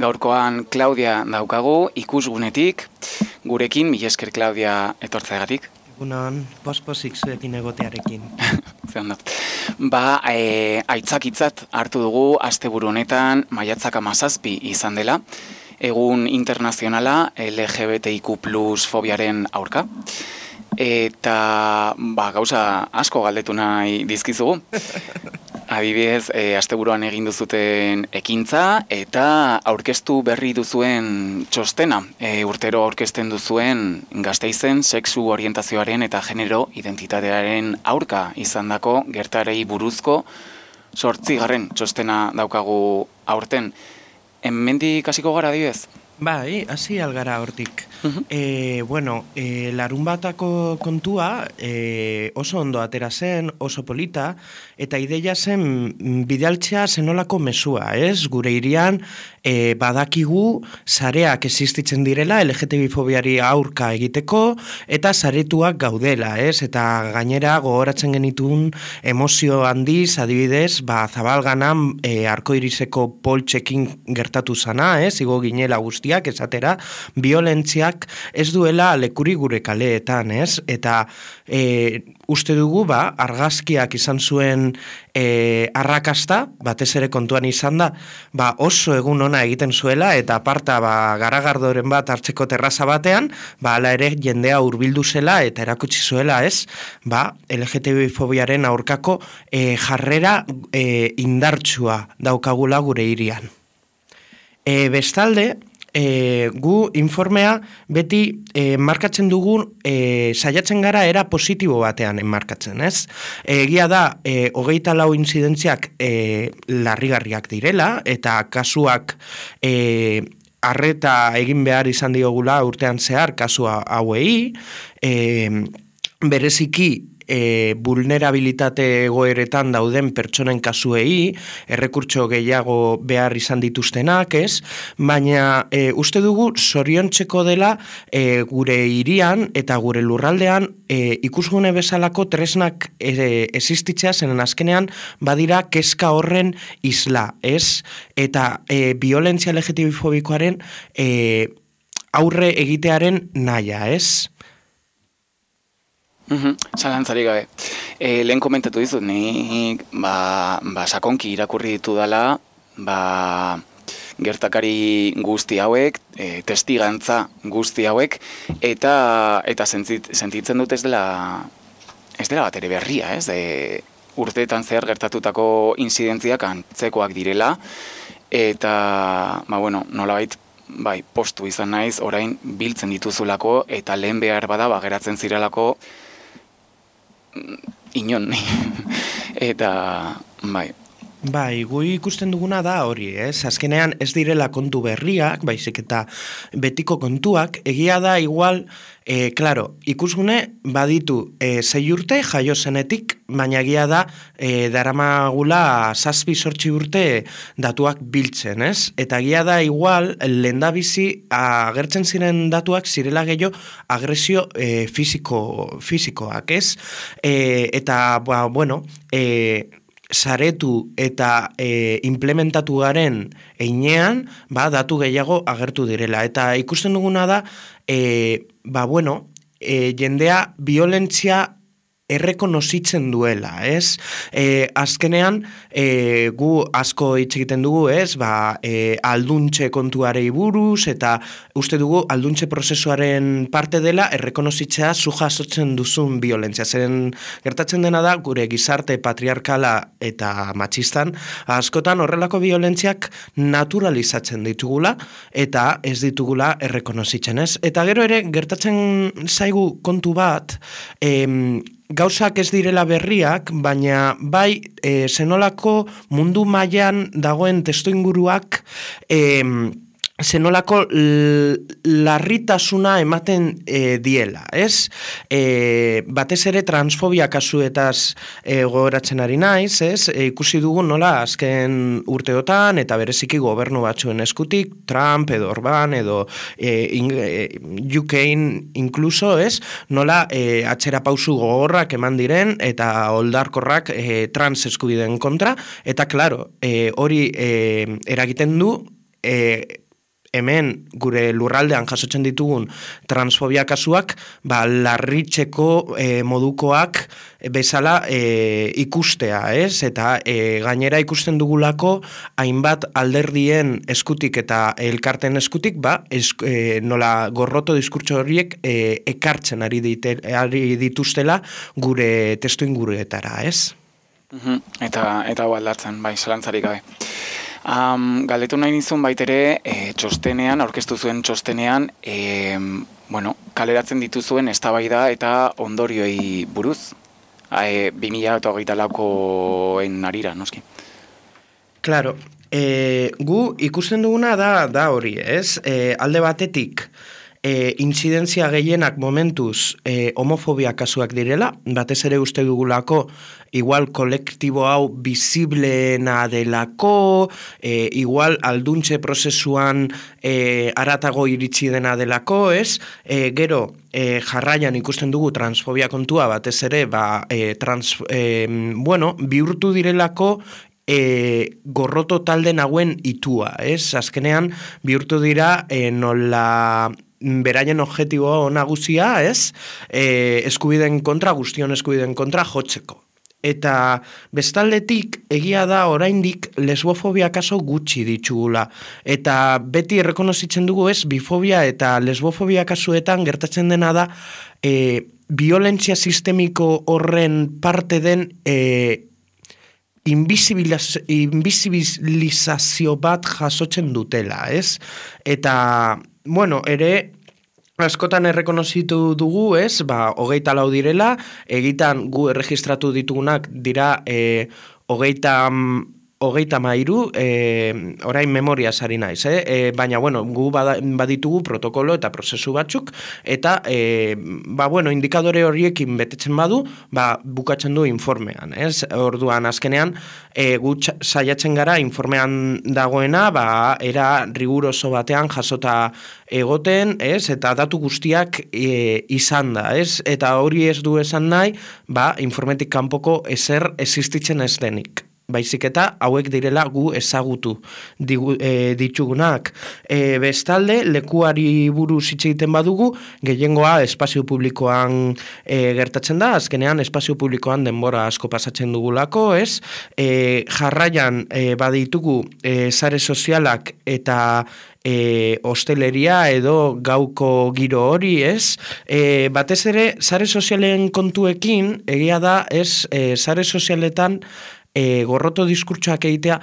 gaurkoan Claudia daukagu, ikusgunetik, gurekin, mila esker Claudia etortzeagatik. Egunon, pospozik zuekin egotearekin. Zeran dut. Aitzakitzat hartu dugu asteburu honetan maiatzak 17 izan dela, egun internazionala LGBTIQ+ fobiaren aurka. Eta gauza asko galdetu nahi dizkizugu. Adibidez, asteburuan egin duzuten ekintza eta aurkeztu berri duzuen txostena. Urtero aurkezten duzuen Gasteizen sexu orientazioaren eta genero identitatearen aurka izandako gertarei buruzko 8. txostena daukagu aurten. Hemendik hasiko gara adibidez? Bai, hasi algara hortik. Larunbatako kontua oso ondo atera zen, oso polita, eta ideia zen bidaltzea zenolako mesua, ez? Gure hirian badakigu sareak existitzen direla LGTB-fobiari aurka egiteko, eta saretuak gaudela, ez? Eta gainera gogoratzen genitun emozio handiz, adibidez, Zabalganan arkoiriseko poltsekin gertatu zana, ez? Igo ginela guztiak, esatera, violentziak ez duela lekuri gure kaleetan, ez? Eta uste dugu, argazkiak izan zuen arrakasta, batez ere kontuan izan da, oso egun ona egiten zuela, eta aparta garagardoren bat hartzeko terraza batean, hala ere jendea hurbildu zela, eta erakutsi zuela, ez? LGTB-fobiaren aurkako jarrera indartsua daukagula gure hirian. Bestalde, gu informea beti markatzen dugun saiatzen gara era positibo batean enmarkatzen, ez? Egia da, 24 inzidentziak larrigarriak direla, eta kasuak arreta egin behar izan diogula urtean zehar kasu hauei, bereziki vulnerabilitate egoeretan dauden pertsonen kasuei, errekurtso gehiago behar izan dituztenak, ez? Baina uste dugu zoriontzeko dela gure hirian eta gure lurraldean ikusgune bezalako tresnak existitzea, zenen azkenean badira kezka horren isla, ez? Eta violentzia LGTB-fobikoaren aurre egitearen nahia, ez? Zalantzari gabe. Lehen komentatu dizut, nik sakonki irakurri ditu dela, gertakari guzti hauek, testigantza guzti hauek, eta sentitzen dut ez dela bat ere berria, ez? Urteetan zehar gertatutako inzidentziak antzekoak direla, eta, nolabait, postu izan naiz, orain biltzen dituzulako, eta lehen behar bada, geratzen zirelako, inon, eta, gu ikusten duguna da hori, ez? Azkenean ez direla kontu berriak, baizik eta betiko kontuak, egia da igual, ikusgune baditu 6 urte jaio zenetik, baina egia da daramagula 7-8 urte datuak biltzen, ez? Eta egia da igual lehendabizi agertzen ziren datuak zirela gehiago agresio fisikoak, ez? Eta, saretu eta implementatu garen einean, datu gehiago agertu direla. Eta ikusten duguna da, jendea violentzia errekonozitzen duela, ez? Azkenean, gu asko hitz egiten dugu, ez? Alduntxe kontuarei buruz, eta uste dugu alduntxe prozesuaren parte dela errekonozitzea zu jasotzen duzun violentzia. Zeren gertatzen dena da, gure gizarte patriarkala eta matxistan, askotan horrelako violentziak naturalizatzen ditugula, eta ez ditugula errekonozitzen, ez? Eta gero ere, gertatzen zaigu kontu bat, gauzak ez direla berriak, baina zenolako mundu mailan dagoen testuinguruak zenolako larritasuna ematen diela, ez? Batez ere transfobia kasuetaz gogoratzen ari naiz, ez? Ikusi dugu nola azken urteotan eta bereziki gobernu batzuen eskutik, Trump edo Orban edo UKin inkluso, ez? Nola atzera pausu gogorrak eman diren eta oldarkorrak trans eskubideen kontra, eta klaro, hori eragiten du hemen gure lurraldean jasotzen ditugun transfobia kasuak, larritzeko modukoak bezala ikustea, ez? Eta gainera ikusten dugulako hainbat alderdien eskutik eta elkarten eskutik, nola gorroto diskurtso horiek ekartzen ari dituztela gure testu inguruetara, ez? Eta aldatzen, bai, zalantzarik gabe. Galdetu nahi nizun baitere, txostenean, aurkeztu zuen txostenean, kaleratzen dituzuen eztabaida eta ondorioei buruz, 2024koen arira, noski. Claro, gu ikusten duguna da hori, ez? Alde batetik, inzidentzia gehienak momentuz homofobia kasuak direla, batez ere uste dugulako igual kolektibo hau bizibleena delako, igual alduntze prozesuan aratago iritsi dena delako, ez? Gero, jarraian ikusten dugu transfobia kontua, batez ere, bihurtu direlako gorroto talde nagoen itua, ez? Azkenean, bihurtu dira nola beraien objektibo nagusia, ez? Eskubideen kontra, guztion eskubideen kontra jotzeko. Eta bestaldetik egia da oraindik lesbofobia kaso gutxi ditugula. Eta beti errekonozitzen dugu, ez, bifobia eta lesbofobia kasuetan gertatzen dena da violentzia sistemiko horren parte den invisibilizazio bat jasotzen dutela, ez? Eta, ere, askotan errekonozitu dugu, ez? 24 direla, egitan gu erregistratu ditugunak dira 33, orain memoria sari naiz, baina, gu baditugu protokolo eta prozesu batzuk, eta, indikadore horiekin betetzen badu, bukatzen du informean, ez? Orduan, azkenean, gu saiatzen gara informean dagoena, era riguroso batean jasota egoten, ez? Eta datu guztiak izan da, ez? Eta hori ez du esan nahi, informetik kanpoko ezer existitzen ez denik. Baizik eta hauek direla gu ezagutu ditugunak. Bestalde, lekuari buruz hitz egiten badugu, gehiengoa espazio publikoan gertatzen da, azkenean espazio publikoan denbora asko pasatzen dugulako, ez? Jarraian baditugu sare sozialak eta hosteleria edo gauko giro hori, ez? Batez ere, sare sozialen kontuekin, egia da, ez, sare sozialetan gorroto diskurtsoak egitea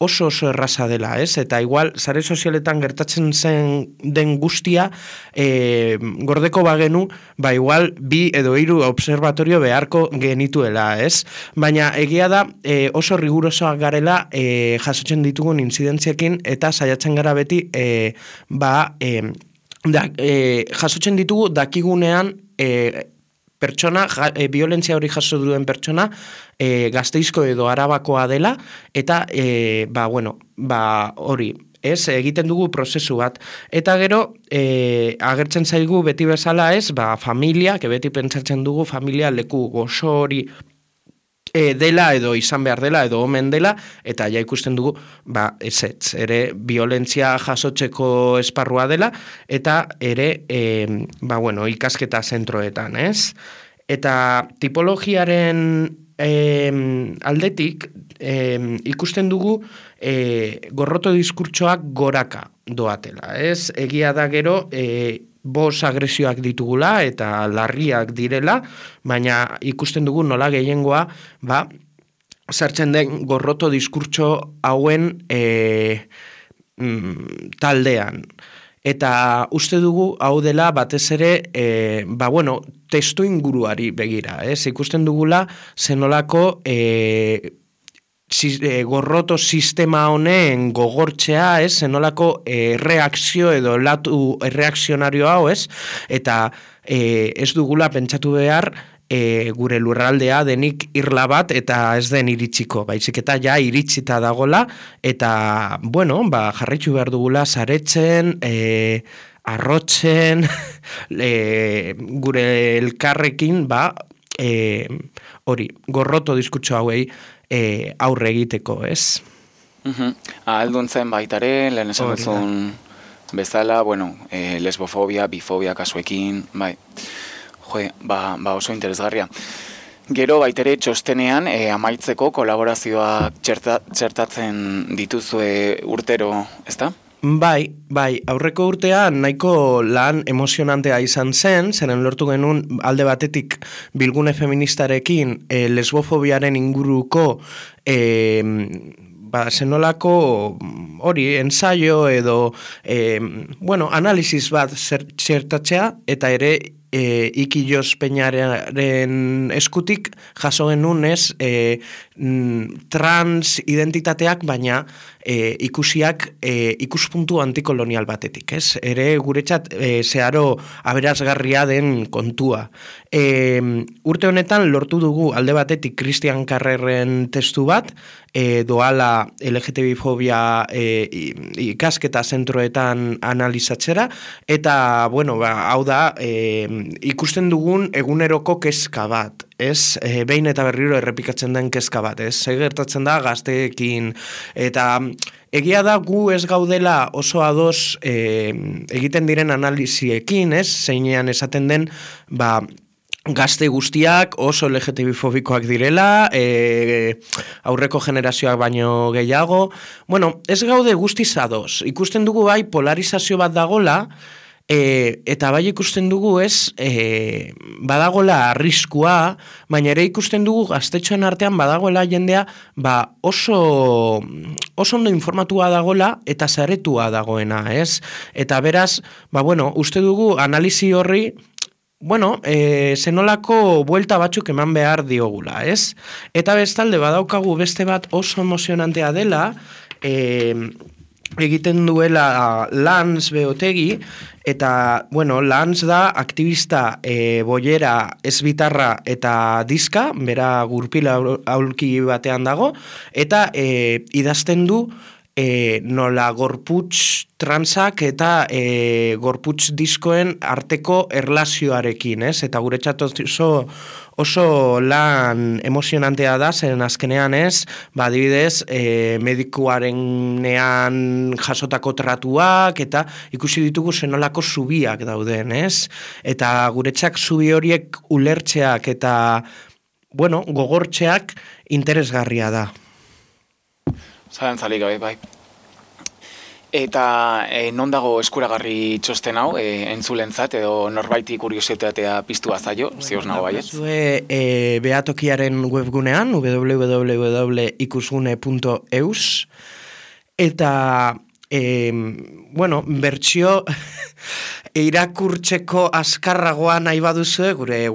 oso erraza dela, ez? Eta igual, sare sozialetan gertatzen zen den guztia gordeko bagenu, igual 2 edo 3 observatorio beharko genituela, ez? Baina egia da oso rigurosoak garela jasotzen ditugun inzidentziekin eta saiatzen gara beti jasotzen ditugu dakigunean pertsona, violentzia hori jaso duen pertsona, Gasteizko edo Arabakoa dela, eta, hori, ez, egiten dugu prozesu bat. Eta gero, agertzen zaigu beti bezala ez, familia, beti pentsatzen dugu familia leku gozo hori dela edo izan behar dela edo omen dela, eta ja ikusten dugu, ezetz, ere violentzia jasotzeko esparrua dela, eta ere, ikasketa zentroetan, ez? Eta tipologiaren aldetik, ikusten dugu gorroto diskurtsoak goraka doatela, ez? Egia da gero, 5 agresioak ditugula eta larriak direla, baina ikusten dugu nola gehiengoa, sartzen den gorroto diskurtso hauen taldean. Eta uste dugu hau dela batez ere, testu inguruari begira, ez? Ikusten dugula zenolako gorroto sistema honen gogortzea, ez? Zenolako reakzio edo latu reakzionario hau, ez? Eta ez dugula pentsatu behar gure lurraldea denik irla bat eta ez den iritsiko, baizik eta ja iritsita dagola, eta, jarraitu behar dugula saretzen, arrotzen, gure elkarrekin, hori, gorroto diskurtso hauei aurre egiteko, ez? Ahalduntzen baitare, lehen esan duzun bezala, bueno, lesbofobia, bifobia kasuekin, bai, oso interesgarria. Gero baitere txostenean amaitzeko kolaborazioak txertatzen dituzue urtero, ezta? Bai, aurreko urtean nahiko lan emozionantea izan zen, zeren lortu genuen alde batetik bilgune feministarekin lesbofobiaren inguruko zenolako hori, ensaio edo analisis bat txertatzea, eta ere Ikillos Peñaren eskutik jaso genuen trans identitateak, baina ikusiak ikuspuntu antikolonial batetik, ez? Ere guretzat zeharo aberasgarria den kontua. Urte honetan lortu dugu alde batetik Christian Carrerren testu bat, doala LGTB-fobia ikasketa zentroetan analizatzera, eta, hau da, ikusten dugun eguneroko kezka bat, ez? Behin eta berriro errepikatzen den kezka bat, ez? Gertatzen da gazteekin, eta egia da gu ez gaudela oso ados egiten diren analiziekin, ez? Zeinean esaten den, gazte guztiak oso LGTB-fobikoak direla, aurreko generazioak baino gehiago. Ez gaude guztiz ados. Ikusten dugu bai polarizazio bat dagola, eta bai ikusten dugu badagola arriskua, baina ere ikusten dugu gaztetxoen artean badagoela jendea oso ondo informatua dagola eta zaretua dagoena, ez? Eta beraz, uste dugu analizi horri zenolako buelta batzuk eman behar diogula, ez? Eta bestalde badaukagu beste bat oso emozionantea dela, egiten duela Lans Beotegi, eta, Lans da aktivista boiera ezbitarra eta diska, bera gurpila aulki batean dago, eta idazten du nola gorputz transak eta gorputz diskoen arteko erlazioarekin, ez? Eta guretzat oso lan emozionantea da, zeren azkenean ez, adibidez, medikuarenean jasotako tratuak, eta ikusi ditugu zenolako zubiak dauden, ez? Eta guretzak zubi horiek ulertzeak eta, gogortzeak interesgarria da. Zalantzalik gabe, bai. Eta non dago eskuragarri txosten hau, entzulentzat edo norbaiti kuriositatea piztu bazaio, zioz nago baietz? Behatokiaren webgunean, www.ikusgune.eus, eta, bertsio irakurtzeko azkarragoa nahi baduzue, gure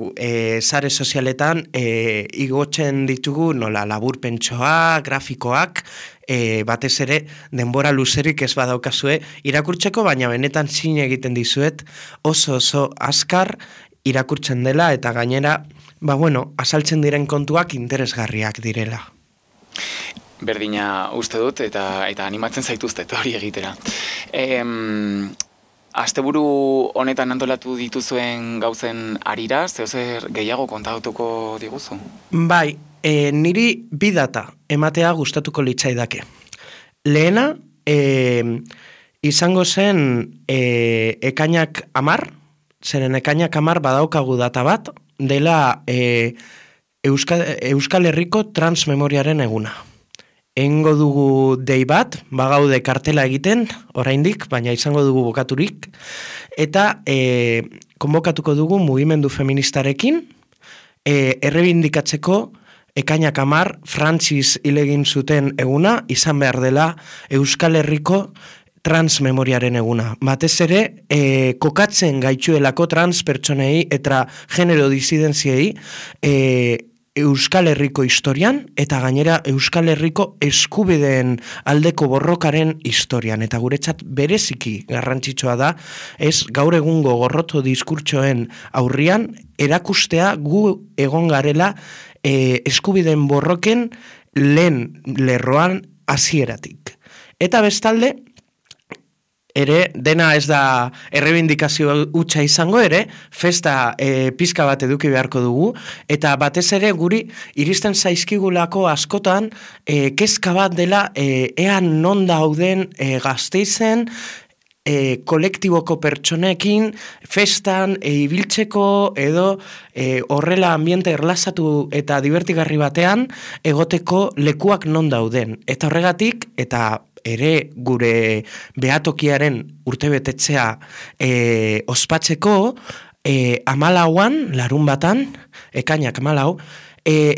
sare sozialetan igotzen ditugu nola laburpentsoa, grafikoak, batez ere denbora luzerik ez badaukazue irakurtzeko, baina benetan zin egiten dizuet oso azkar irakurtzen dela, eta gainera, azaltzen diren kontuak interesgarriak direla. Berdina uste dut, eta animatzen zaituztet hori egitera. Asteburu honetan antolatu dituzuen gauzen arira, zeozer gehiago kontatuko diguzu? Bai, niri bi data ematea gustatuko litzaidake. Lehena, izango zen ekainak 10, zeren ekainak 10 badaukagu data bat, dela Euskal Herriko transmemoriaren eguna. Engo dugu dei bat, bagaude kartela egiten, oraindik, baina izango dugu bokaturik, eta konbokatuko dugu mugimendu feministarekin, errebindikatzeko ekainak 10 Frantziz hilegin zuten eguna, izan behar dela Euskal Herriko transmemoriaren eguna. Batez ere, kokatzen gaitxuelako trans pertsonei eta genero disidenziei Euskal Herriko historian, eta gainera Euskal Herriko eskubideen aldeko borrokaren historian. Eta guretzat bereziki garrantzitsua da, ez gaur egungo gorroto diskurtsoen aurrian, erakustea gu egon garela eskubideen borroken lehen lerroan hasieratik. Eta bestalde, ere, dena ez da errebindikazio hutsa izango ere, festa pizka bat eduki beharko dugu, eta batez ere guri iristen zaizkigulako askotan kezka bat dela ean non dauden Gasteizen kolektiboko pertsonekin, festan, ibiltzeko edo horrela ambiente erlazatu eta divertigarri batean egoteko lekuak non dauden. Eta horregatik, eta ere gure behatokiaren urtebetetzea ospatzeko, 14an, larun batan, ekainak 14,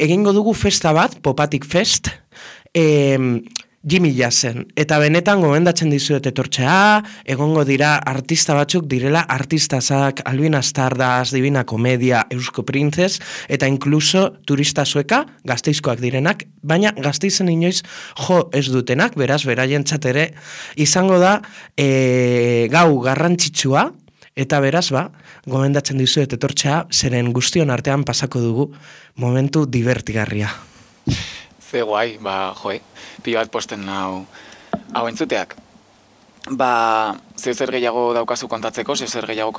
egingo dugu festa bat, Popatik Fest, Jimmy Jazzen. Eta benetan gomendatzen dizuet etortzea, egongo dira artista batzuk direla artistazak, Albina Stardust, Divina Komedia, Eusko Printzes, eta inkluso turista sueka, Gasteizkoak direnak, baina Gasteizen inoiz jo ez dutenak, beraz, beraientzat ere, izango da gau garrantzitsua, eta beraz, gomendatzen dizuet etortzea, zeren guztion artean pasako dugu momentu divertigarria. Ze guai, pila bat posten hau entzuteak. Zer gehiago daukazu kontatzeko, zer gehiago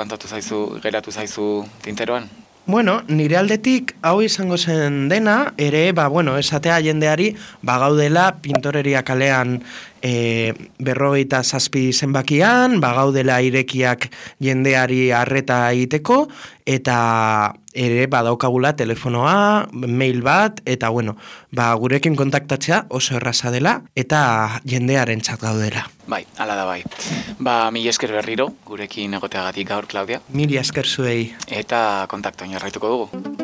geratu zaizu tinteroan? Bueno, nire aldetik hau izango zen dena, ere, esatea jendeari, gaudela Pintoreria kalean 57 zenbakian, gaudela irekiak jendeari arreta egiteko, eta ere badaukagula telefonoa, mail bat, eta gurekin kontaktatzea oso erraza dela, eta jendearen txat gaudela. Bai, ala da bai. Mila esker berriro, gurekin egoteagatik gaur, Claudia. Mila esker zuei. Eta kontaktoin jarraituko dugu.